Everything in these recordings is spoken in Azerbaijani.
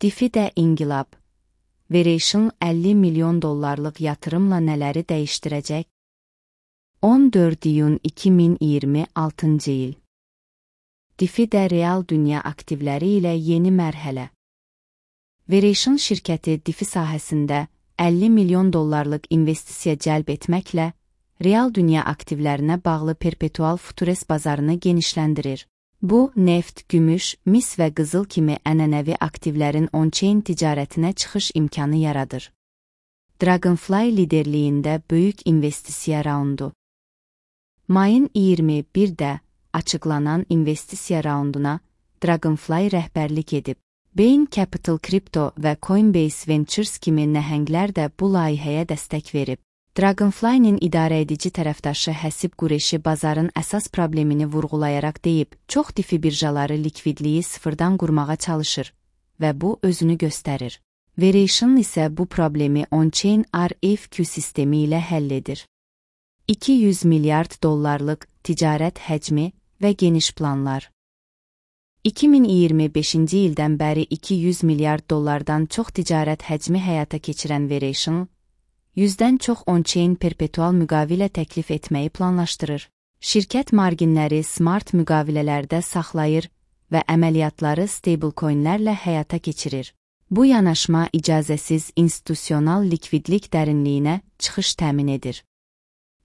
DeFi də inqilab. Veration 50 milyon dollarlıq yatırımla nələri dəyişdirəcək? 14 iyun 2026 il. DeFi də real dünya aktivləri ilə yeni mərhələ. Veration şirkəti DeFi sahəsində 50 milyon dollarlıq investisiya cəlb etməklə real dünya aktivlərinə bağlı perpetual futures bazarını genişləndirir. Bu, neft, gümüş, mis və qızıl kimi ənənəvi aktivlərin on-chain ticarətinə çıxış imkanı yaradır. Dragonfly liderliyində böyük investisiya raundu. Mayın 21-də açıqlanan investisiya raunduna Dragonfly rəhbərlik edib. Bain Capital Crypto və Coinbase Ventures kimi nəhənglər də bu layihəyə dəstək verib. Dragonfly-nin idarəedici tərəfdaşı Həsib Qureşi bazarın əsas problemini vurğulayaraq deyib, çox DeFi birjaları likvidliyi sıfırdan qurmağa çalışır və bu özünü göstərir. Veration isə bu problemi on-chain RFQ sistemi ilə həll edir. 200 milyard dollarlıq ticarət həcmi və geniş planlar. 2025-ci ildən bəri 200 milyard dollardan çox ticarət həcmi həyata keçirən Veration, 100-dən çox on-chain perpetual müqavilə təklif etməyi planlaşdırır. Şirkət marginləri smart müqavilələrdə saxlayır və əməliyyatları stablecoinlərlə həyata keçirir. Bu yanaşma icazəsiz institusional likvidlik dərinliyinə çıxış təmin edir.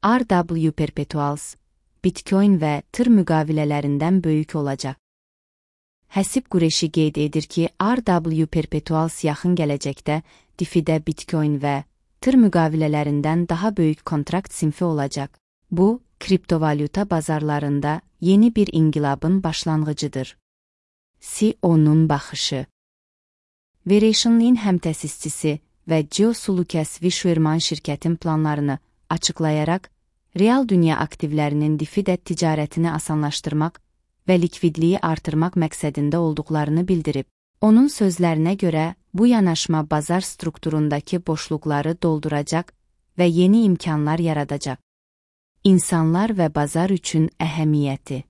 RW Perpetuals, Bitcoin və TR müqavilələrindən böyük olacaq. Həsib Qureşi qeyd edir ki, RW Perpetuals yaxın gələcəkdə DeFi-də Bitcoin və TR müqavilələrindən daha böyük kontrakt sinfi olacaq. Bu, kriptovalyuta bazarlarında yeni bir inqilabın başlanğıcıdır. CEO-nun baxışı. Veration'in həmtəsisçisi və Joe Lucas Wishwerman şirkətin planlarını açıqlayaraq, real dünya aktivlərinin DeFi-də ticarətini asanlaşdırmaq və likvidliyi artırmaq məqsədində olduqlarını bildirib. Onun sözlərinə görə, bu yanaşma bazar strukturundakı boşluqları dolduracaq və yeni imkanlar yaradacaq. İnsanlar və bazar üçün əhəmiyyəti.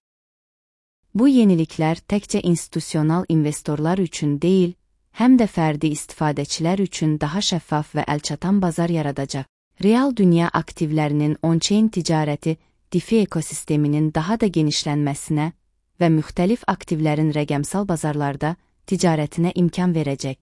Bu yeniliklər təkcə institusional investorlar üçün deyil, həm də fərdi istifadəçilər üçün daha şəffaf və əlçatan bazar yaradacaq. Real dünya aktivlərinin on-chain ticarəti DeFi ekosisteminin daha da genişlənməsinə və müxtəlif aktivlərin rəqəmsal bazarlarda ticarətinə imkan verəcək.